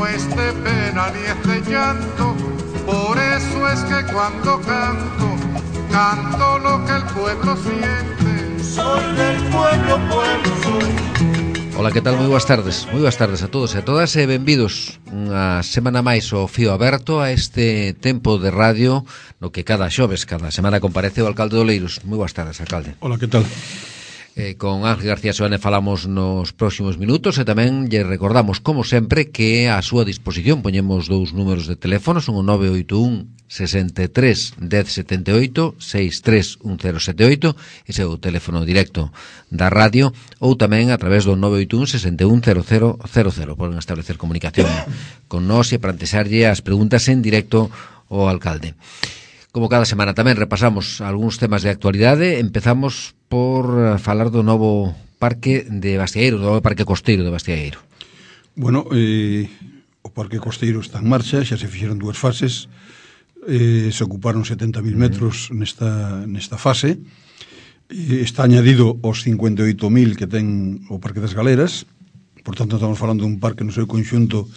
no es de pena ni es de llanto, por eso es que cuando canto, canto lo que el pueblo siente. Soy del pueblo, pueblo soy. Ola, que tal? Moi boas tardes a todos e a todas e benvidos unha semana máis ao Fío Aberto, a este tempo de radio no que cada xoves, cada semana comparece o alcalde de Oleiros. Moi boas tardes, alcalde. Ola, que tal? Con Ángel García Soane falamos nos próximos minutos e tamén lle recordamos, como sempre, que a súa disposición poñemos dous números de teléfono, son o 981 63 1078 63 1078, ese é o teléfono directo da radio, ou tamén a través do 981 61 0000. Poden establecer comunicación con nós e plantexarlle as preguntas en directo ao alcalde. Como cada semana tamén repasamos algúns temas de actualidade. Empezamos por falar do novo parque de Bastiaeiro, do novo parque costeiro de Bastiaeiro. Bueno, o parque costeiro está en marcha, xa se fixeron dúas fases, se ocuparon 70.000 metros nesta fase, está añadido os 58.000 que ten o Parque das Galeras, por tanto estamos falando dun parque no seu conxunto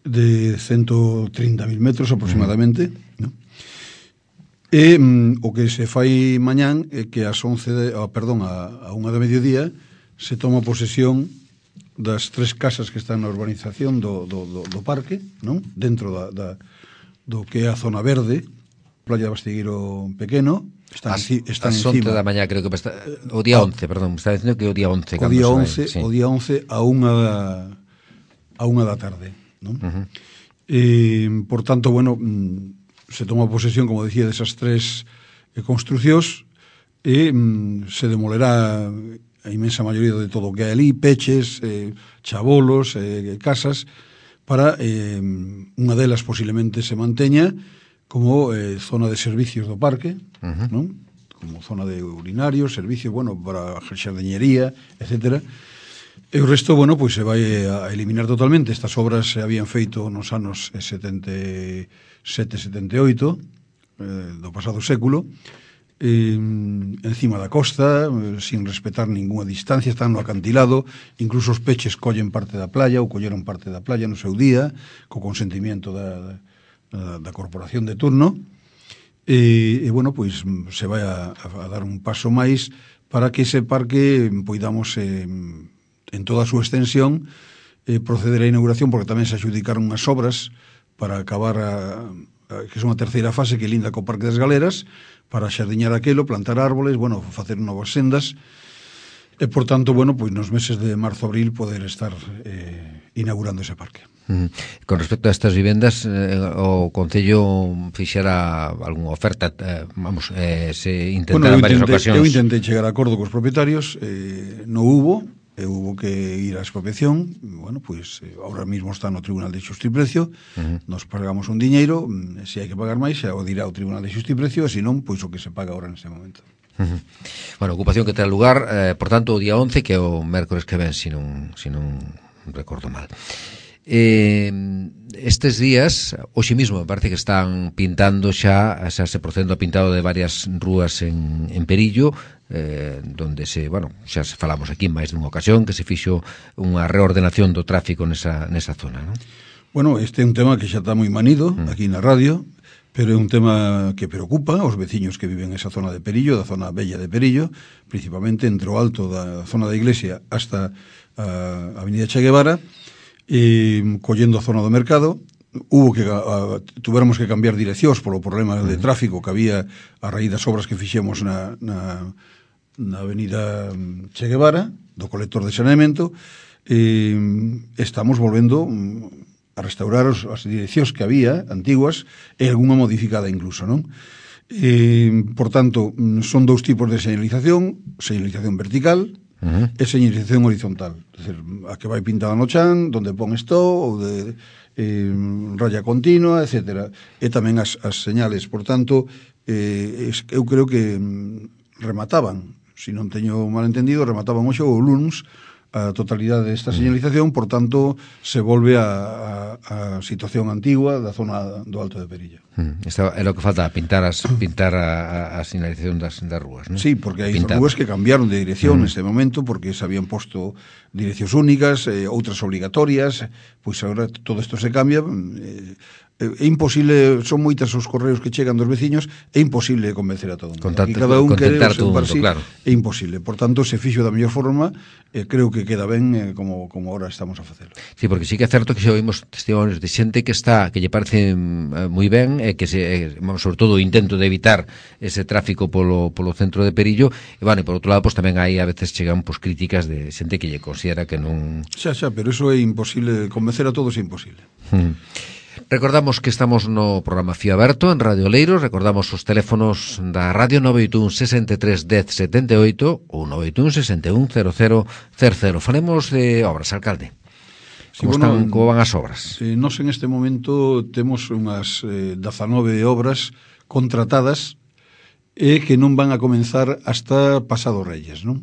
de 130.000 metros aproximadamente, ¿no? E o que se fai mañán é que a 1 da mediodía se toma posesión das 3 casas que están na urbanización do parque, non? Dentro do que é a zona verde, Playa de Bastiaeiro Pequeno, está encima. 11 da mañá, creo que está, o día 11, perdón, me está dicindo que o día 11. O día 11 a 1 da tarde, non? Por tanto, bueno, se toma posesión, como decía, desas 3 construcións e se demolerá a inmensa maioría de todo o que hai ali, peches, chabolos, casas, para unha delas posiblemente se manteña como zona de servicios do parque, non? Como zona de urinarios, servicios, bueno, para xardiñería, etcétera. E o resto, bueno, pois se vai a eliminar totalmente. Estas obras se habían feito nos anos 77-78 do pasado século, encima da costa, sin respetar ninguna distancia, están no acantilado, incluso os peches collen parte da playa ou colleron parte da playa no seu día, co consentimiento da corporación de turno, e bueno, pois se vai a dar un paso máis para que ese parque poidamos en toda a súa extensión proceder á inauguración, porque tamén se adjudicaron unhas obras para acabar que son a terceira fase, que linda co Parque das Galeras, para xardiñar aquelo, plantar árboles, bueno, facer novas sendas, e por tanto, bueno, pois nos meses de marzo-abril poder estar inaugurando ese parque. Con respecto a estas vivendas, o Concello fixera algunha oferta, se intentaran varias ocasións. Eu intentei chegar a acordo cos propietarios, non hubo que ir á expropiación. Bueno, pois ahora mismo está no Tribunal de Xusta e Precio, nos pagamos un diñeiro, se hai que pagar máis, xa o dirá o Tribunal de Xusta e Precio, e se non, pois o que se paga ahora neste momento. Bueno, ocupación que terá lugar, por tanto, o día 11, que é o mércores que ven, se non recordo mal. Estes días, hoxe mismo, me parece que están pintando xa se procedendo a pintado de varias rúas en Perillo, donde xa se falamos aquí en máis dunha ocasión, que se fixo unha reordenación do tráfico nesa zona, non? Bueno, este é un tema que xa está moi manido aquí na radio, pero é un tema que preocupa aos veciños que viven esa zona de Perillo, da zona bella de Perillo, principalmente entre o alto da zona da iglesia hasta a avenida Che Guevara, collendo a zona do mercado. Tuvéramos que cambiar direccións polo problema de tráfico que había a raíz das obras que fixemos na avenida Che Guevara, do colector de saneamento. Estamos volvendo a restaurar as direccións que había antiguas e algunha modificada incluso, non? Por tanto, son dous tipos de señalización vertical e señalización horizontal, é dicir, a que vai pintada no chan, donde pon stop ou de raya continua, etcétera, e tamén as señales. Por tanto, eu creo que remataban, se non teño mal entendido, remataban hoxe o luns a totalidade desta señalización, por tanto, se volve a situación antigua da zona do Alto de Perilla. Isto é o que falta, pintar a señalización das rúas, non? Sí, porque hai rúas que cambiaron de dirección neste momento, porque se habían posto direccións únicas, outras obligatorias, pois agora todo isto se cambia. É imposible, son moitas os correos que chegan dos veciños, é imposible convencer a todo mundo. Cada un quere o seu par, claro. É imposible. Por tanto, se fixo da mellor forma, creo que queda ben como ahora estamos a facelo. Sí, porque sí que é certo que xa oímos testimonios de xente que lle parece moi ben, que sobre todo o intento de evitar ese tráfico polo centro de Perillo, e por outro lado, tamén hai a veces chegan críticas de xente que lle considera que non... Xa, pero eso é imposible, convencer a todos é imposible. Recordamos que estamos no programa Fío Aberto en Radio Oleiros, recordamos os teléfonos da radio 981 63 10 78 ou 981 61 00 00. Falemos de obras, alcalde. Como van as obras? Nós en este momento temos unhas 19 obras contratadas e que non van a comenzar hasta pasado Reyes, non?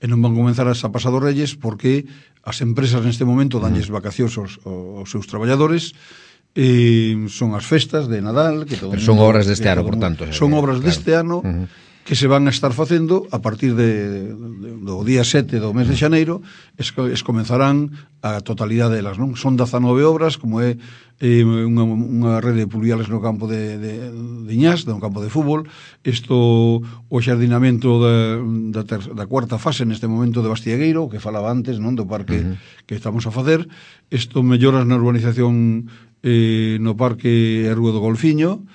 E non van a comenzar hasta pasado Reyes porque as empresas neste momento danlles vacacións aos seus traballadores, son as festas de Nadal, que todo pero son obras deste ano, por tanto. Son obras deste ano que se van a estar facendo a partir do día 7 do mes de xaneiro, es comenzarán a totalidade delas, non? Son 19 obras, como é unha rede de pluviales no campo de Iñás, no campo de fútbol, o xardinamento da cuarta fase neste momento de Bastiegueiro, que falaba antes, non, do parque que estamos a facer, melloras na urbanización no parque e Rúa do Golfiño.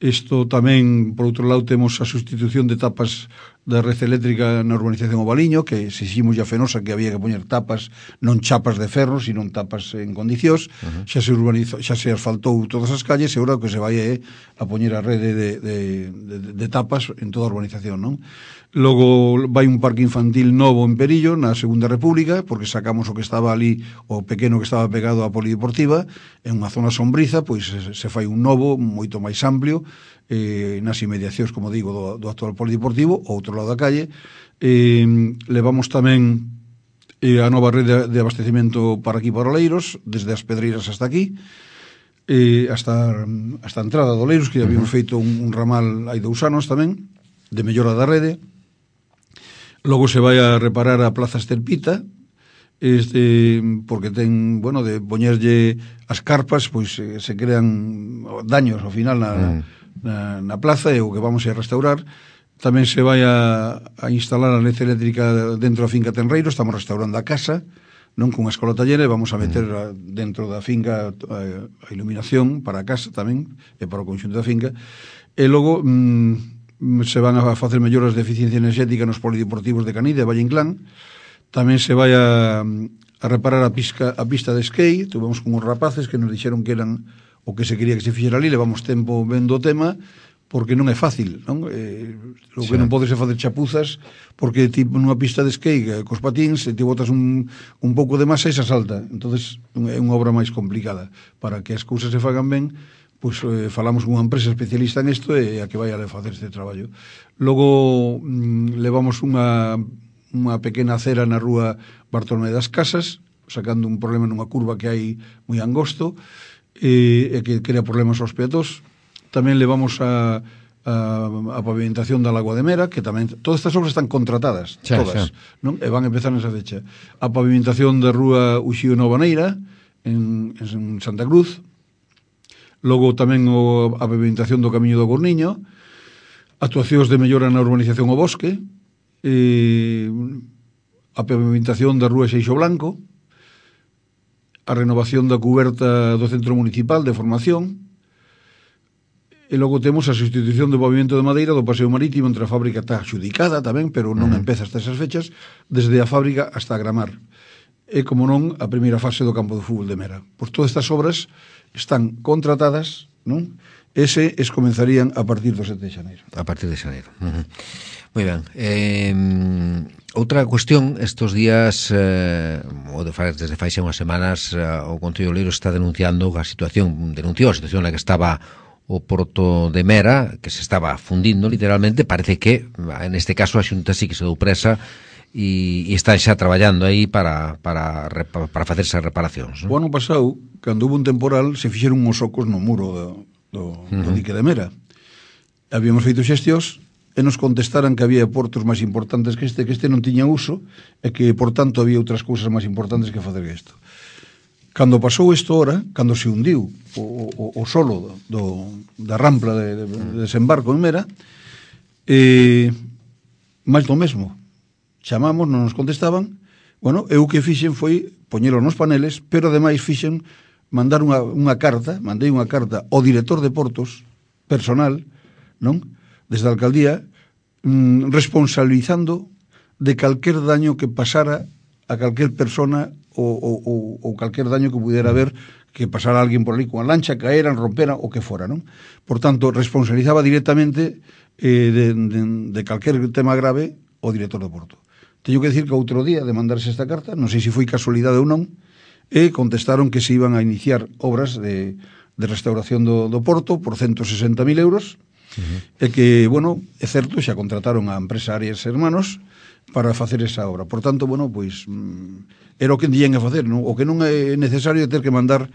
Isto tamén, por outro lado, temos a sustitución de tapas da red eléctrica na urbanización Ovaliño, que se ximos a Fenosa que había que poñer tapas, non chapas de ferro, sino tapas en condicións. Xa se asfaltou todas as calles, e agora o que se vai a poñer a rede de tapas en toda a urbanización, non? Logo vai un parque infantil novo en Perillo, na Segunda República, porque sacamos o que estaba ali, o pequeno que estaba pegado á polideportiva, en unha zona sombriza, pois se fai un novo, moito máis amplio, nas inmediacións, como digo, do actual polideportivo, ao outro lado da calle. Levamos tamén a nova rede de abastecimento para aquí, para Oleiros, desde as Pedreiras hasta aquí, hasta a entrada de Oleiros, que habíamos feito un ramal hai 2 anos tamén, de mellora da rede. Logo se vai a reparar a Plaza Estelpita, porque ten, de poñerlle as carpas, pois se crean daños ao final na plaza, e o que vamos a restaurar. Tamén se vai a instalar a led eléctrica dentro da finca Tenreiro, estamos restaurando a casa, non con a escola tallera, e vamos a meter dentro da finca a iluminación para a casa tamén, e para o conxunto da finca. E logo se van a facer melloras de eficiencia enerxética nos polideportivos de Canide e Valle Inclán. Tamén se vai a reparar a pista de skate. Tuvemos con os rapaces que nos dixeron que eran o que se quería que se fixera ali. Levamos tempo vendo o tema, porque non é fácil, non? O que non podes é facer chapuzas, porque tipo nunha pista de skate cos patins, se te botas un pouco de masa e se salta. Entonces é unha obra máis complicada. Para que as cousas se fagan ben, pois falamos con unha empresa especialista en isto e a que vai a facer este traballo. Logo levamos unha pequena acera na rúa Bartolomé das Casas, sacando un problema nunha curva que hai moi angosto, e que crea problemas aos peatós. Tamén levamos a pavimentación da Lagoa de Mera, que tamén, todas estas obras están contratadas, todas, non? E van a empezar nesa fecha. A pavimentación da rúa Uxío Novaneira en Santa Cruz. Logo tamén a pavimentación do Camiño do Gorniño, actuacións de mellora na urbanización O Bosque, a pavimentación da rúa Xeixo Blanco, a renovación da cuberta do Centro Municipal de Formación, e logo temos a sustitución do pavimento de madeira do paseo marítimo entre a fábrica, está xudicada tamén, pero non empeza hasta esas fechas, desde a fábrica hasta a Gramar. E, como non, a primeira fase do campo de fútbol de Mera. Pois todas estas obras están contratadas, non? Comenzarían a partir do 7 de xaneiro. A partir de xaneiro. Moi ben. Outra cuestión, estes días, desde fai xa unhas semanas, o Concello de Oleiros está denunciou a situación na que estaba o porto de Mera, que se estaba fundindo literalmente. Parece que, neste caso, a Xunta sí que se dou presa e están xa traballando aí para facer esas reparacións, non? O ano pasado, cando hubo un temporal, se fixeron uns ocos no muro do dique de Mera. Habíamos feito xestións e nos contestaran que había portos máis importantes que este non tiña uso e que, por tanto, había outras cousas máis importantes que facer que isto. Cando pasou isto ora, cando se hundiu o solo da rampla de desembarco en Mera, máis do mesmo. Chamamos, non nos contestaban. Bueno, eu que fixen foi poñelo nos paneles, pero ademais fixen mandar unha carta, mandei unha carta ao director de portos personal, non? Desde a alcaldía, responsabilizando de calquer daño que pasara a calquer persona ou calquer daño que pudiera haber, que pasara alguén por ali con a lancha, caeran, romperan, o que fora, non? Por tanto, responsabilizaba directamente de calquer tema grave o director do porto. Teño que decir que outro día de mandarse esta carta, non sei se foi casualidade ou non, e contestaron que se iban a iniciar obras de restauración do porto por 160.000 euros, e que, bueno, é certo, xa contrataron a empresa Arias Hermanos para facer esa obra. Por tanto, bueno, pois era o que dían a facer, non? O que non é necesario ter que mandar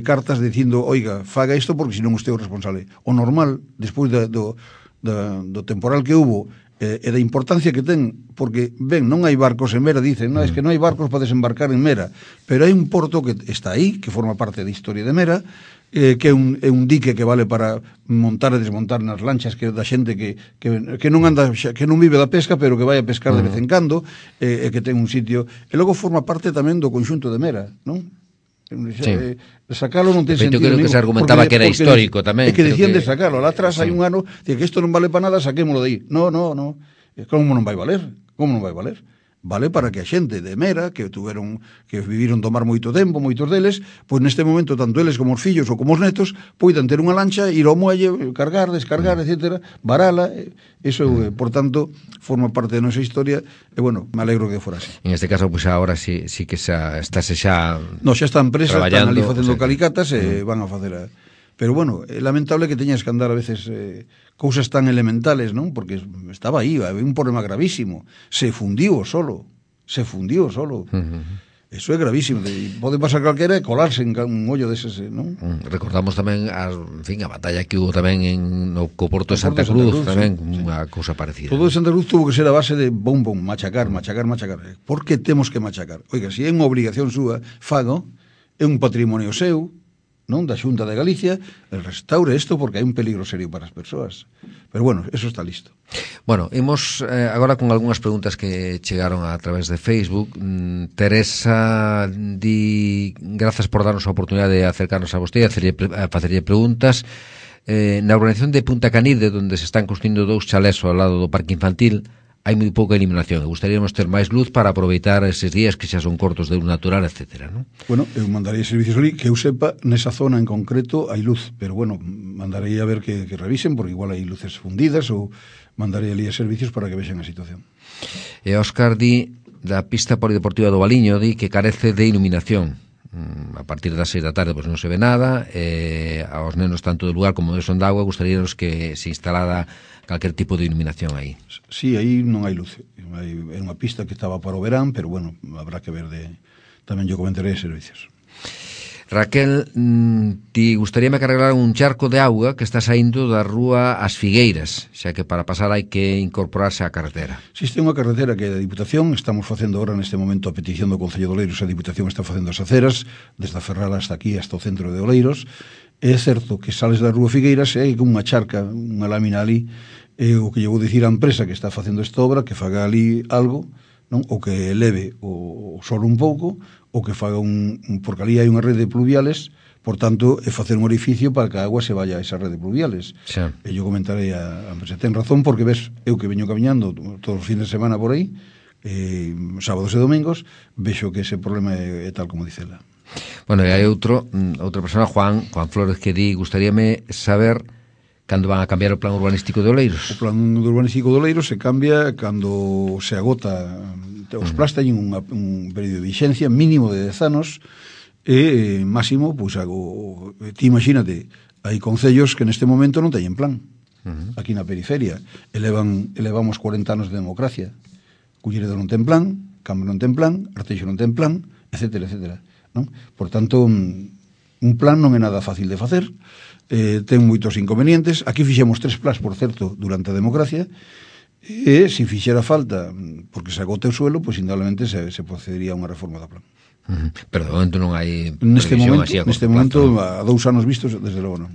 cartas dicindo, oiga, faga isto porque senón usted é o responsable. O normal, despois do temporal que hubo e da importancia que ten, porque, ben, non hai barcos en Mera, dicen, non, é que non hai barcos para desembarcar en Mera, pero hai un porto que está aí, que forma parte da historia de Mera, que é un dique que vale para montar e desmontar nas lanchas que da xente que non anda, que non vive da pesca, pero que vai a pescar de vez en cando, e que ten un sitio, e logo forma parte tamén do conxunto de Mera, non? Sí. Sacalo non ten sentido. Creo que se argumentaba que era histórico tamén. É que decían de sacalo. Lá atrás hai un ano, que isto non vale para nada, saquémolo de aí. No. Como non vai valer? Como non vai valer? Vale para que a xente de Mera, que viviron tomar moito tempo, moitos deles, pois neste momento, tanto eles como os fillos ou como os netos, poidan ter unha lancha, ir ao muelle, cargar, descargar, etcétera, varala. Eso, por tanto, forma parte da nosa historia, e, bueno, me alegro que fora así. En este caso, pois agora sí que estáse xa no, xa está a empresa, están ali facendo calicatas e van a facer Pero, bueno, é lamentable que teñas que andar a veces cousas tan elementales, non? Porque estaba aí, había un problema gravísimo. Se fundiu o solo. Eso é gravísimo. Pode pasar calquera e colarse en un ollo deses, non? Recordamos tamén a batalla que hubo tamén no Porto de Santa Cruz, tamén unha cousa parecida. Todo de Santa Cruz tuvo que ser a base de machacar. Por que temos que machacar? Oiga, se é unha obligación súa, fago, é un patrimonio seu, non, da Xunta de Galicia, restaure isto porque hai un peligro serio para as persoas. Pero, bueno, eso está listo. Bueno, imos agora con algunhas preguntas que chegaron a través de Facebook. Teresa di grazas por darnos a oportunidade de acercarnos a vostede, a facerlle preguntas. Na urbanización de Punta Canide, onde se están construindo 2 chalés ao lado do parque infantil, hai moi pouca iluminación. Gustaríamos ter máis luz para aproveitar eses días que xa son cortos de luz natural, etcétera, non? Bueno, eu mandarei servicios ali, que eu sepa, nesa zona en concreto hai luz, pero, bueno, mandarei a ver que revisen, porque igual hai luces fundidas, ou mandarei ali a servicios para que vexan a situación. E Óscar di, da pista polideportiva do Valiño, di que carece de iluminación. A partir das 6 da tarde pois non se ve nada, aos nenos tanto do lugar como de Son de Agua gustaríanos que se instalara calquer tipo de iluminación aí. Sí, aí non hai luz. É unha pista que estaba para o verán, pero, bueno, habrá que ver tamén yo comentarei servicios. Raquel, ti gustaríame que arreglaran un charco de auga que está saindo da rúa As Figueiras, xa que para pasar hai que incorporarse á carretera. Existe unha carretera que é da Diputación, estamos facendo agora neste momento a petición do Concello de Oleiros, a Diputación está facendo as aceras, desde a Ferral hasta aquí, hasta o centro de Oleiros. É certo que sales da rúa Figueiras e hai unha charca, unha lámina ali, o que lle vou dicir á empresa que está facendo esta obra, que faga ali algo, non? Ou que eleve o solo un pouco, ou que faga porque ali hai unha rede de pluviales, por tanto, é facer un orificio para que a agua se vaya a esa rede de pluviales. Sí. E eu comentarei a empresa, ten razón, porque ves, eu que veño camiñando todos os fines de semana por aí, sábados e domingos, vexo que ese problema é tal como dice ela. Bueno, e hai outra persona, Juan Flores, que di, gustaríame saber cando van a cambiar o plan urbanístico de Oleiros. O plan urbanístico de Oleiros se cambia cando se agota. Os plans teñen un período de vixencia mínimo de 10 anos e máximo, pois, ti imagínate, hai concellos que neste momento non teñen plan aquí na periferia, elevamos 40 anos de democracia, Culleredo non ten plan, Cambre non ten plan, Arteixo non ten plan, etcétera, etcétera, non? Por tanto, un plan non é nada fácil de facer, ten moitos inconvenientes. Aquí fixemos 3 plans, por certo, durante a democracia, e se fixera falta, porque se agote o suelo, pois indudablemente se procedería a unha reforma do plan. Pero de momento non hai Neste momento, plazo. a 2 anos vistos, desde logo non.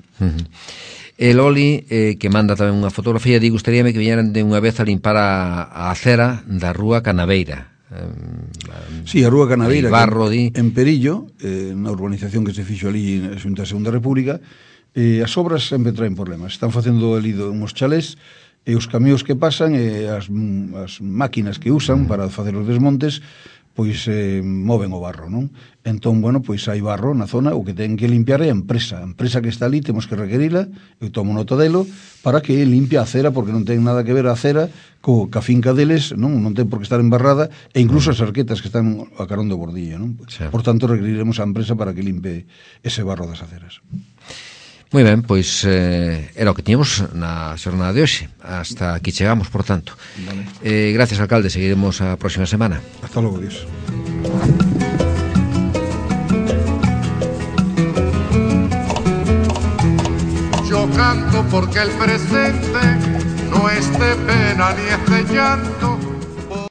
E Loli, que manda tamén unha fotografía, di, gustaríame que viñeran de unha vez a limpar a acera da rúa Canaveira. Sí, a rúa Canaveira, barro, en Perillo, na urbanización que se fixo ali na Segunda República, as obras sempre traen problemas. Están facendo ali uns chalés, e os camións que pasan, e as máquinas que usan para facer os desmontes, pois moven o barro, non? Entón, bueno, pois hai barro na zona, o que ten que limpiar é a empresa que está ali, temos que requerila, eu tomo nota delo, para que limpie a acera, porque non ten nada que ver a acera ca finca deles, non ten por que estar embarrada, e incluso as arquetas que están a carón do bordillo, non? Sí. Por tanto, requeriremos a empresa para que limpe ese barro das aceras. Moi ben, pois era o que tiñamos na xornada de hoxe. Hasta aquí chegamos, por tanto. Vale. Gracias, alcalde, seguiremos a próxima semana. Hasta logo, Dios. Yo canto porque el presente no es de pena ni es de llanto,